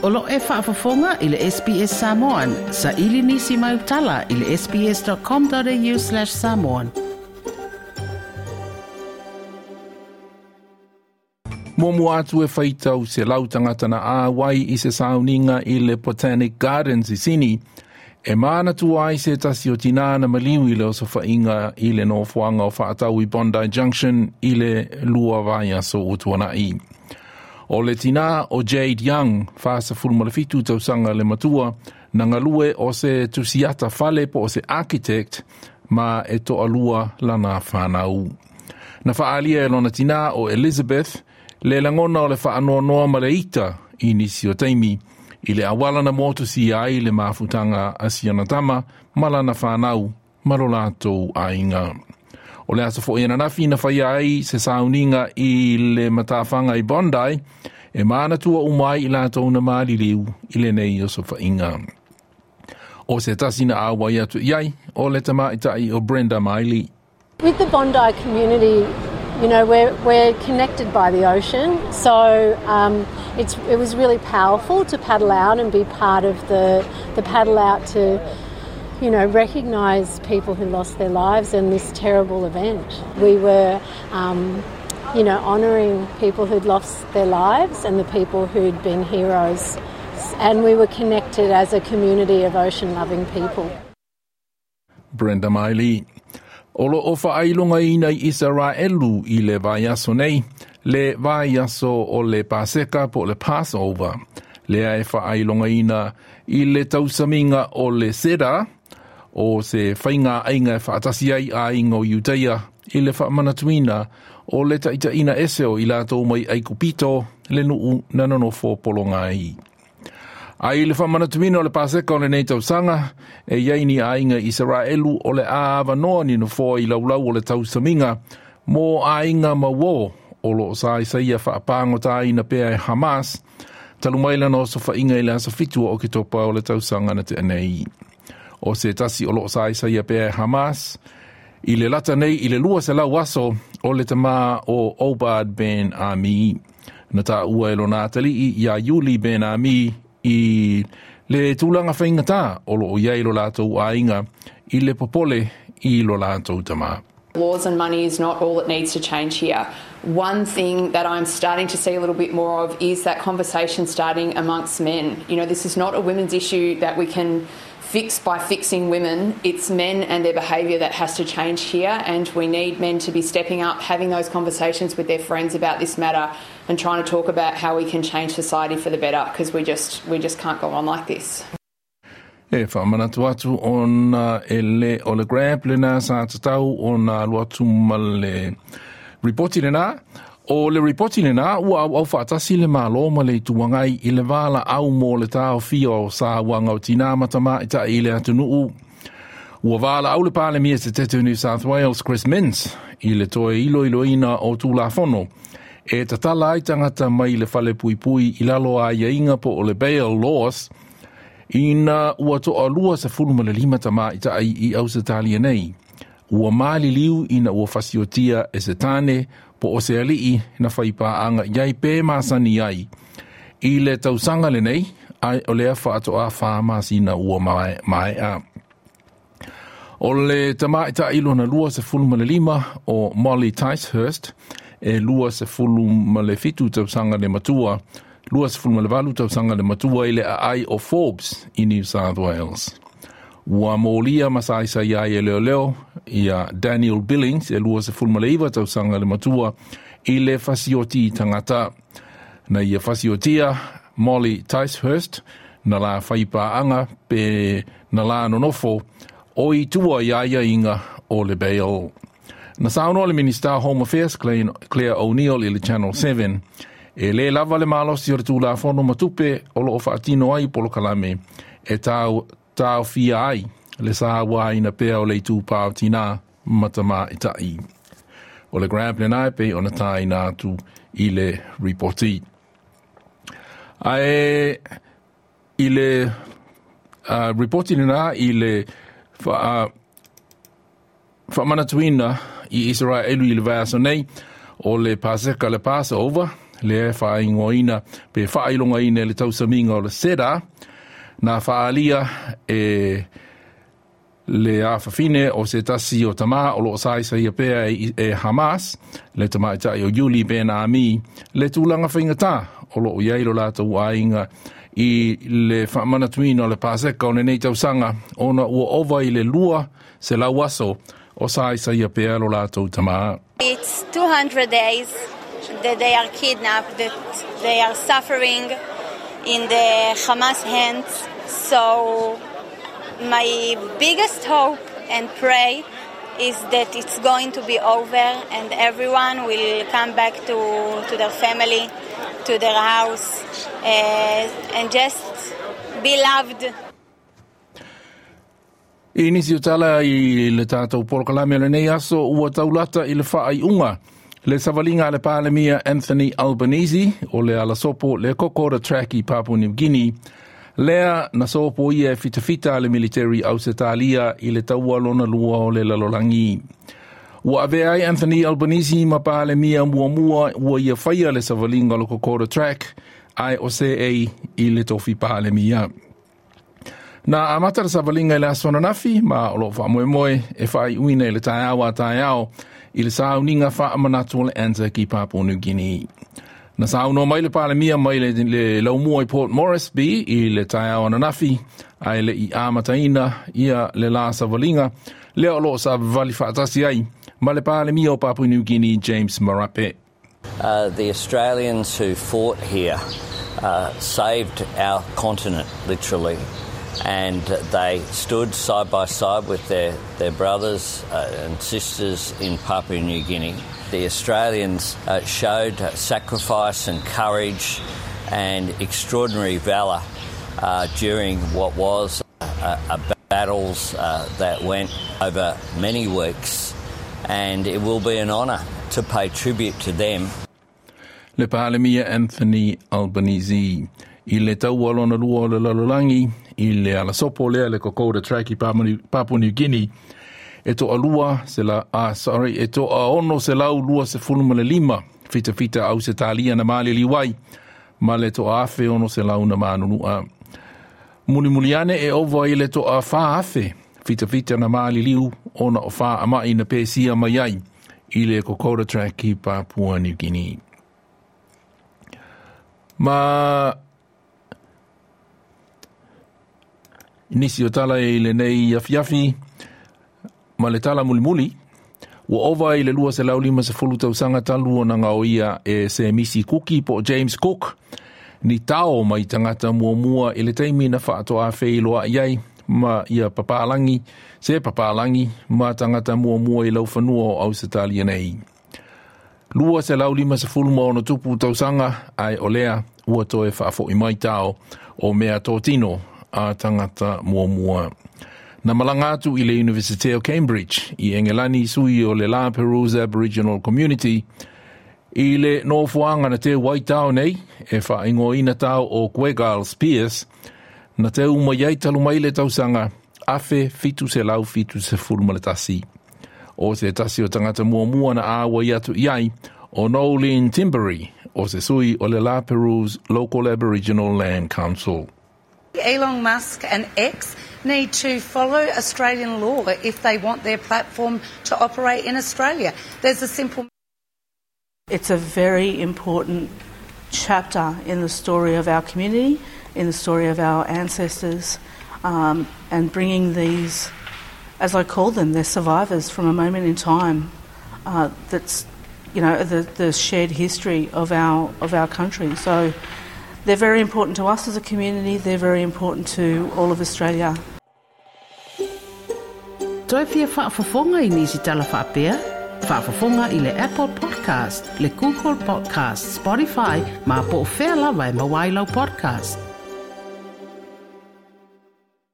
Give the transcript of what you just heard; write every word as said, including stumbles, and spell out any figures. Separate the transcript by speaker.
Speaker 1: O lo e faafofoga i le S B S Samoan, sa ili nisi mai utala i le S B S dot com dot A U slash samoan.
Speaker 2: Muamua atu, e faitau selau tagata na auai i se sauniga i le Botanic Gardens i Sini, e manatua ai se tasi o tinā na maliu i le osofaiga i le nofoaga o faatau i Bondi Junction i le lua vaiaso ua tuana'i. O le tinā o Jade Young, fasefulu ma le fitu tausaga le matua, na galue o se tusiata fale po o se architect ma e toalua lana fanau. Na faaalia e lona tinā o Elizabeth le lagona o le faanoanoa ma le ita i nisi o taimi i le auala na motusia ai le mafutaga a siana tama ma lana fanau ma lo latou aiga. O le aso fo'i ananafi na faia ai se sauniga i le matafaga i Bondi e manatua uma ai i latou na maliliu i lenei osofaiga. O se tasi na auai atu i ai o le tamaitai o Brenda Miley.
Speaker 3: With the Bondi community, you know, we're, we're connected by the ocean, so um, it's, it was really powerful to paddle out and be part of the, the paddle out to, you know, recognise people who lost their lives in this terrible event. We were, um, you know, honouring people who'd lost their lives and the people who'd been heroes. And we were connected as a community of ocean loving people.
Speaker 2: Brenda Miley. O lo o faailogaina i Isaraelu i le vaiaso nei, le vaiaso o le Paseka po le Passover. Lea e faailogaina i le tausamiga o le Seder, o se faiga aiga e faatasi ai aiga o Iutaia i le faamanatuina o le taitaiina ese o i latou mai Aikupito, le nuu na nonofo pologa ai. A i le faamanatuina o le Paseka o lenei tausaga, e iai ni aiga Isaraelu o le a avanoa ni nofoa i laulau o le tausamiga mo aiga ma uō o lo o saisaia faapagota pea e Hamas, talu mai lana osofaiga i le aso fitu o Oketopa o le tausaga na tea nei. O se tasi o lo o saisaia pea e Hamas, i le lata nei i le lua selau aso, o le tamā o Obad Ben Ami. Na taua e lona atalii ia Yuli Ben Ami i le tulaga faigata o lo o iai lo latou aiga i le popole i lo latou tamā.
Speaker 4: Laws and money is not all that needs to change here. One thing that I'm starting to see a little bit more of is that conversation starting amongst men. You know, this is not a women's issue that we can fix by fixing women. It's men and their behaviour that has to change here, and we need men to be stepping up, having those conversations with their friends about this matter, and trying to talk about how we can change society for the better, because we just we just can't go on like this.
Speaker 2: E faamanatu atu ona e le o le Grab lena sa tatau ona alu atu ma le ripoti lena. O le ripoti lena, ua auau faatasi le Malo ma le Itu Agai i le valaau mo le taofia o sauaga o tinā ma tamaitai i le atunuu. Ua valaau le Palemia Setete o New South Wales Chris Minns i le toe iloiloina o Tulafono e tatala ai tagata mai le fale puipui i lalo o aiaiga po o le bail laws, ina ua toalua sefulu ma le lima tamaitai i Ausetalia nei ua maliliu ina ua fasiotia e se tane po o se alii na faipaaga i ai pe masani ai i le tausaga lenei, ai o lea faatoa fa masina ua maea. O le tamaitai lona lua sefulu ma le lima o Molly Ticehurst, e lua sefulu ma le fitu tausaga le matua, lua sefulu ma le valu tausaga le matua, i le aai o Forbes i New South Wales. Ua molia ma saisai ai e leoleo ia Daniel Billings, e lua sefulu ma le iva tausaga le matua, i le fasioti tagata. Na ia fasiotia Molly Ticehurst na la faipaaga pe na la nonofo o i tua i aiaiga o le bail. Na saunoa le Minista Home Affairs Claire O'Neill i le Channel seven, e lē lava le malosi o le Tulafono ma tupe o lo o faatino ai polokalame e tau, taofia ai le sauaina pea o le itupā o tinā ma tamaitai. O le Grab lena e pei ona taina atu i le ripoti. Ae i le uh, ripoti lena i le fa, uh, faamanatuina i Isaraelu i le vaiaso nei o le Paseka, le Passover. Lea e faaigoaina pe faailogaina i le tausamiga o le Seder, na faaalia e le afafine o se tasi o tamā o loo saisaia pea e, e Hamas, le tamaitai o Yuli Ben Ami, le tulaga faigatā o loo i ai lo latou aiga i le faamanatuina o le Paseka o lenei tausaga ona ua ova i le lua selau aso o saisaia pea lo latou tamā.
Speaker 5: It's two hundred days that they are kidnapped, that they are suffering in the Hamas hands. So my biggest hope and pray is that it's going to be over and everyone will come back to, to their family, to their house, uh, and just be loved.
Speaker 2: I nisi o tala i le tātou polokalame o lenei aso ua taulata i le faaiuga le savaliga a le Palemia Anthony Albanese o le alasopo le Kokoda Track i Papua New Guinea, lea na sopo ia e fitafita a le military Ausetalia i le taua lona lua o le lalolagi. Ua avea ai Anthony Albanese ma Palemia muamua ua ia faia le savaliga o le Kokoda Track ae o seei i le tofi Palemia. Na amata le savaliga i le aso ananafi ma o loo faamoemoe e faaiuina i le taeao a taeao i le sauniga faamanatu o le Anzac i Papua New Guinea. Na saunoa mai le Palemia mai le, le laumua i Port Moresby i le taeao ananafi ae le i amataina ia le la savaliga lea o loo savavali faatasi ai ma le Palemia o Papua New Guinea James Marape.
Speaker 6: Uh, the Australians who fought here uh, saved our continent, literally, and they stood side by side with their, their brothers uh, and sisters in Papua New Guinea. The Australians uh, showed sacrifice and courage and extraordinary valour uh, during what was a, a battles uh, that went over many weeks, and it will be an honour to pay tribute to them.
Speaker 2: Le Palemia Anthony Albanese i le taua lona lua o le lalolagi i le alasopo lea le Kokoda Track i Papua New Guinea e toalua se la, ah, sorry, e toaono selau lua sefulu ma le lima fitafita Ausetalia na maliliu ai ma le toaafe ono selau na manunua. Mulimuli ane e ova i le toafā afe fitafita na maliliu ona o faamai na pesia mai ai i le Kokoda Track i Papua New Guinea. Ma nisi o tala i lenei afiafi ma le tala mulimuli, ua ova i le lua selau lima sefulu tausaga talu ona gaoia e Semisi Kuki po James Cook ni tao mai tagata muamua i le taimi na faatoa feiloai ai ma ia papalagi se papalagi ma tagata muamua i laufanua o Ausetalia nei. Lua selau lima sefulu ma ono tupu tausaga ae o lea ua toe faafo'i mai tao o mea totino a tagata muamua. Na malaga atu i le University o Cambridge i Engelani sui o le La Perouse Aboriginal Community i le nofoaga na teu ai tao nei e faaigoaina tao o Gwegal Spears na teu mai ai talu mai le tausaga afe fitu selau fitu sefulu ma le tasi. O se tasi o tagata muamua na auai atu i ai o Noeline Timbery o se sui o le La Perouse Local Aboriginal Land Council.
Speaker 7: Elon Musk and X need to follow Australian law if they want their platform to operate in Australia. There's a simple
Speaker 8: It's a very important chapter in the story of our community, in the story of our ancestors, um, and bringing these, as I call them, they're survivors from a moment in time uh, that's, you know, the, the shared history of our, of our country. So they're very important to us as a community, they're very important to all of Australia.
Speaker 1: Toe fia faafofoga i nisi tala faapea? Faafofoga i le Apple Podcast, le Google Podcast, Spotify, ma po o fea lava e maua ai lau podcast.